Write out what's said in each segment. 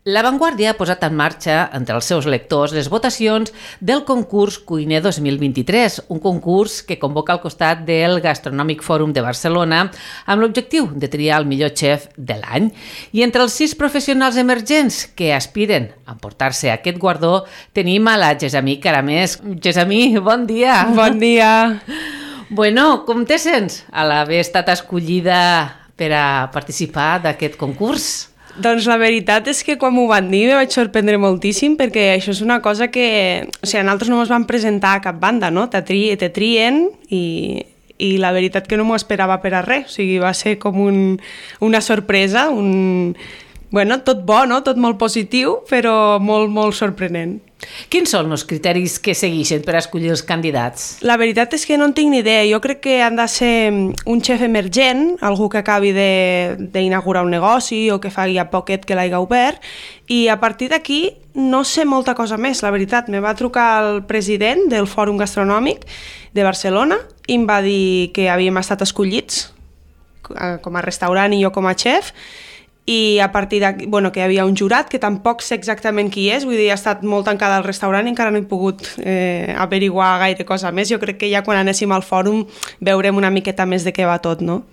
La Vanguardia ha posat en marxa entre els seus lectors les votacions del concurs Cuiner 2023, un concurs que convoca al costat del Gastronòmic Fòrum de Barcelona amb l'objectiu de triar el millor xef de l'any. I entre els 6 professionals emergents que aspiren a emportar-se aquest guardó tenim a la Gessamí Caramés. Gessamí, bon dia! Bon dia! Bueno, com te sents a l'haver estat escollida per a participar d'aquest concurs? Doncs la veritat és que quan m'ho van dir me vaig sorprendre moltíssim perquè això és una cosa que... O sigui, nosaltres no ens vam presentar a cap banda, no? Te trien i la veritat que no m'ho esperava per a res. O sigui, va ser com una sorpresa, Bueno, tot bo, no? Tot molt positiu, però molt, molt sorprenent. Quins són els criteris que segueixen per escollir els candidats? La veritat és que no en tinc ni idea. Jo crec que han de ser un xef emergent, algú que acabi d'inaugurar un negoci o que faci a poquet que l'hagi obert, i a partir d'aquí no sé molta cosa més, la veritat. Me va trucar el president del Fòrum Gastronòmic de Barcelona i em va dir que havíem estat escollits com a restaurant i jo com a xef, i a partir d'aquí, bueno, que hi havia un jurat que tampoc sé exactament qui és, vull dir, ha estat molt tancada al restaurant i encara no he pogut averiguar gaire cosa més. Jo crec que ja quan anéssim al fòrum veurem una miqueta més de què va tot, no?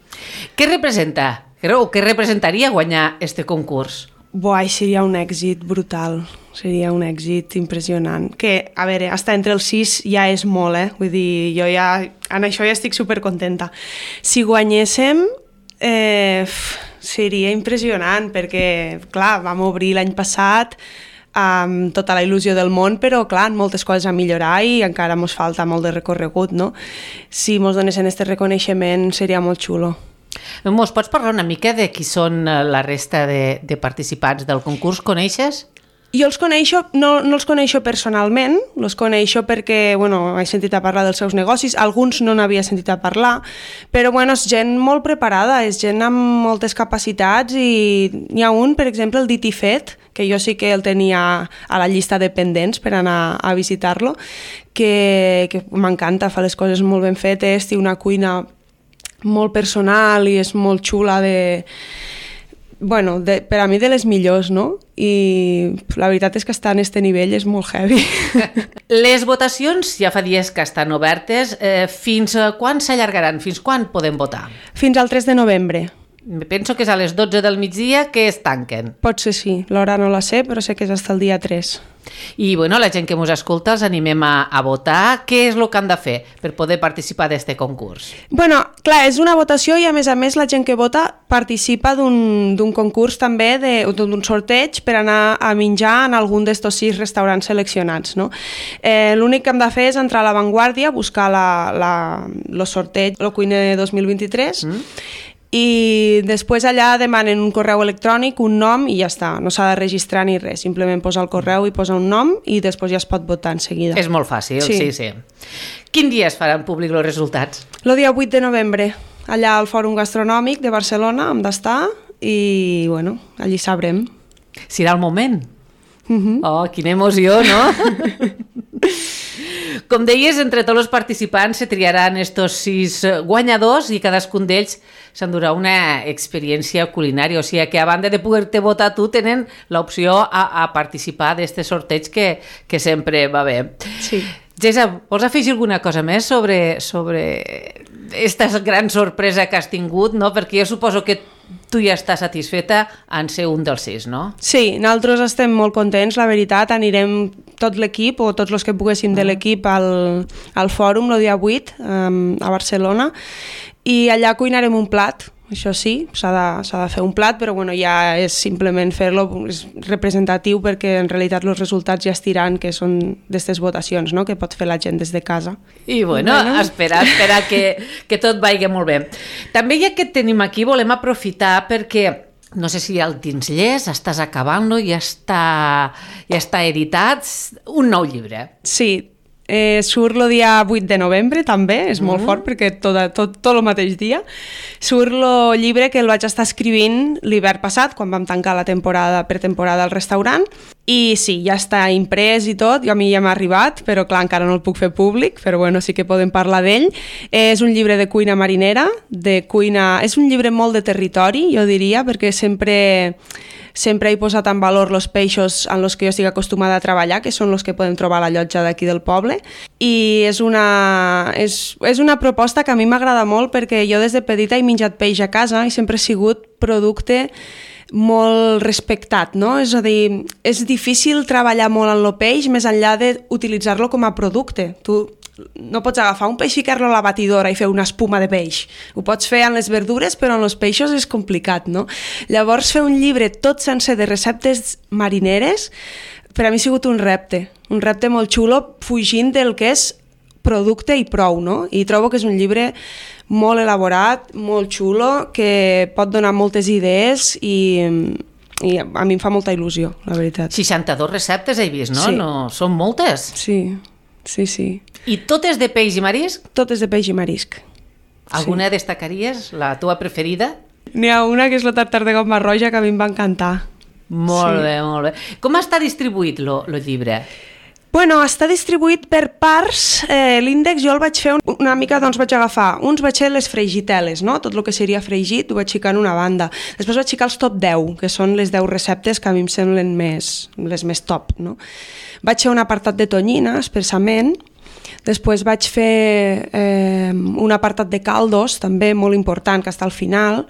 Què representa? O què representaria guanyar este concurs? Buah, seria un èxit brutal, seria un èxit impressionant. Que, a veure, estar entre els 6 ja és molt, Vull dir, jo ja, en això ja estic supercontenta. Si guanyéssim, seria impressionant perquè, clar, vam obrir l'any passat amb tota la il·lusió del món, però, clar, moltes coses a millorar i encara ens falta molt de recorregut, no? Si ens donessin aquest reconeixement seria molt xulo. Mos pots parlar una mica de qui són la resta de participants del concurs? Coneixes? Jo els coneixo, no els coneixo personalment, els coneixo perquè, bueno, he sentit a parlar dels seus negocis, alguns no n'havia sentit a parlar, però, bueno, és gent molt preparada, és gent amb moltes capacitats i n'hi ha un, per exemple, el dit i fet, que jo sí que el tenia a la llista de pendents per anar a visitar-lo, que m'encanta, fa les coses molt ben fetes, té una cuina molt personal i és molt xula per a mi de les millors, no? I la veritat és que estar en este nivell és molt heavy. Les votacions ja fa dies que estan obertes. Fins quan s'allargaran? Fins quan podem votar? Fins al 3 de novembre. Penso que és a les 12 del migdia que es tanquen. Pot ser sí, l'hora no la sé, però sé que és fins al dia 3. I, bueno, la gent que ens escolta els animem a votar. Què és el que han de fer per poder participar d'aquest concurs? Bueno, clar, és una votació i a més la gent que vota participa d'un concurs també, d'un sorteig per anar a menjar en algun d'estos 6 restaurants seleccionats, no? L'únic que hem de fer és entrar a La Vanguardia, buscar el sorteig, el Cuiner 2023, i després allà demanen un correu electrònic, un nom i ja està, no s'ha de registrar ni res, simplement posa el correu i posa un nom i després ja es pot votar en seguida. És molt fàcil, sí. Quin dia es faran públic els resultats? El dia 8 de novembre, allà al Fòrum Gastronòmic de Barcelona hem d'estar i, bueno, allí sabrem. Serà el moment? Oh, quina emoció, no? Com deies, entre tots els participants se triaran estos 6 guanyadors i cadascun d'ells s'endurà una experiència culinària, o sigui que a banda de poder-te votar tu tenen l'opció a participar d'aquest sorteig que sempre va bé. Sí. Gessa, vols afegir alguna cosa més sobre aquesta gran sorpresa que has tingut, no? Perquè jo suposo que tu ja estàs satisfeta en ser un dels 6, no? Sí, nosaltres estem molt contents, la veritat. Anirem tot l'equip o tots els que poguéssim de l'equip al fòrum el dia 8 a Barcelona i allà cuinarem un plat. Això sí, s'ha de fer un plat, però bueno, ja és simplement fer-lo, és representatiu perquè en realitat els resultats ja estiran, que són d'aquestes votacions, no?, que pot fer la gent des de casa. I bueno, espera que tot vagi molt bé. També ja que et tenim aquí volem aprofitar perquè no sé si el tens llest, estàs acabant-lo, ja està editat, un nou llibre. Sí, surt el dia 8 de novembre també, és molt fort perquè tot el mateix dia. Surt el llibre que el vaig estar escrivint l'hivern passat, quan vam tancar la pretemporada al restaurant, I sí, ja està imprès i tot, a mi ja m'ha arribat, però clar, encara no el puc fer públic, però bueno, sí que podem parlar d'ell. És un llibre de cuina marinera, és un llibre molt de territori, jo diria, perquè sempre he posat en valor els peixos en els que jo estic acostumada a treballar, que són els que podem trobar a la llotja d'aquí del poble, i és una proposta que a mi m'agrada molt perquè jo des de petita he menjat peix a casa i sempre ha sigut producte molt respectat, no? És a dir, és difícil treballar molt en el peix més enllà d'utilitzar-lo com a producte. Tu no pots agafar un peix, ficar-lo a la batidora i fer una espuma de peix. Ho pots fer en les verdures, però en els peixos és complicat, no? Llavors, fer un llibre tot sencer de receptes marineres per a mi ha sigut un repte molt xulo, fugint del que és producte i prou, no? I trobo que és un llibre molt elaborat, molt xulo, que pot donar moltes idees i a mi em fa molta il·lusió, la veritat. 62 receptes he vist, no? Sí. No, són moltes. Sí. I totes de peix i marisc? Totes de peix i marisc. Alguna destacaries? La teva preferida? N'hi ha una que és la tartar de gamba roja que a mi em va encantar. Molt bé. Com està distribuït el llibre? Bueno, està distribuït per parts. L'índex jo el vaig fer una mica, doncs vaig agafar, vaig fer les fregiteles, no? Tot el que seria fregit ho vaig ficar en una banda. Després vaig ficar els top 10, que són les 10 receptes que a mi em semblen les més top, no? Vaig fer un apartat de tonyina, expressament. Després vaig fer un apartat de caldos, també molt important, que està al final.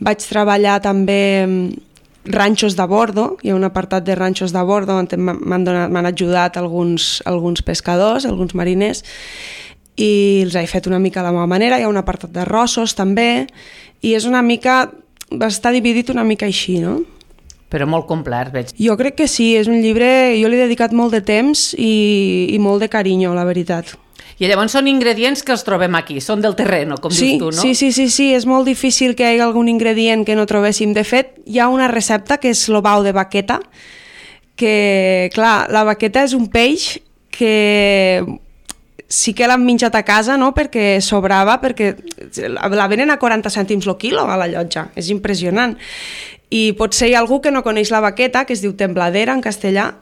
Vaig treballar també ranxos de bordo, hi ha un apartat de ranxos de bordo on m'han ajudat alguns pescadors, alguns mariners, i els he fet una mica a la meva manera. Hi ha un apartat d'arrossos també, i és una mica, està dividit una mica així, no? Però molt complet, veig. Jo crec que sí, és un llibre, jo li he dedicat molt de temps i molt de carinyo, la veritat. I llavors són ingredients que els trobem aquí, són del terreno, com dius tu, no? Sí, és molt difícil que hi hagi algun ingredient que no trobéssim. De fet, hi ha una recepta que és l'obau de baqueta, que, clar, la baqueta és un peix que sí que l'han menjat a casa, no?, perquè sobrava, perquè la venen a 40 cèntims el quilo a la llotja, és impressionant. I potser hi ha algú que no coneix la baqueta, que es diu tembladera en castellà,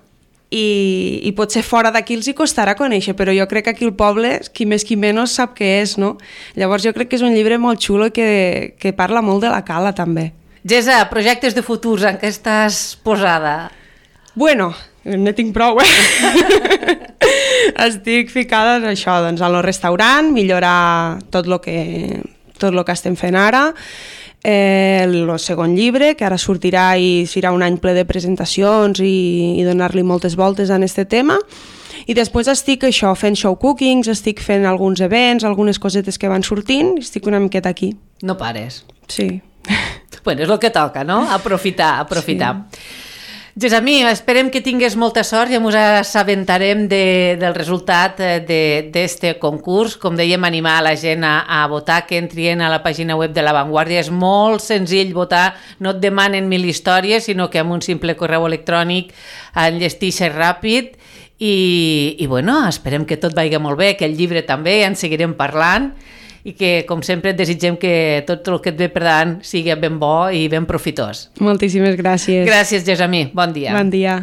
i potser fora d'aquí els hi costarà conèixer, però jo crec que aquí al poble, qui més qui menys sap què és, no? Llavors jo crec que és un llibre molt xulo i que parla molt de la cala, també. Gesa, projectes de futurs, en què estàs posada? Bueno, no tinc prou, Estic ficada en això, doncs, al restaurant, millorar tot el que estem fent ara, el segon llibre, que ara sortirà i serà un any ple de presentacions i donar-li moltes voltes en aquest tema, i després estic fent show cookings, estic fent alguns events, algunes cosetes que van sortint, i estic una miqueta aquí. No pares. Sí. Bueno, és el que toca, no? Aprofitar. Sí. Gessamí, esperem que tingues molta sort i ens assabentarem del resultat d'este concurs. Com dèiem, animar a la gent a votar, que entrien a la pàgina web de La Vanguardia. És molt senzill votar, no et demanen 1000 històries, sinó que amb un simple correu electrònic enllestixes ràpid i bueno, esperem que tot vagi molt bé, que el llibre també, en seguirem parlant, i que, com sempre, et desitgem que tot el que et ve per davant sigui ben bo i ben profitós. Moltíssimes gràcies. Gràcies, Gessamí. Bon dia. Bon dia.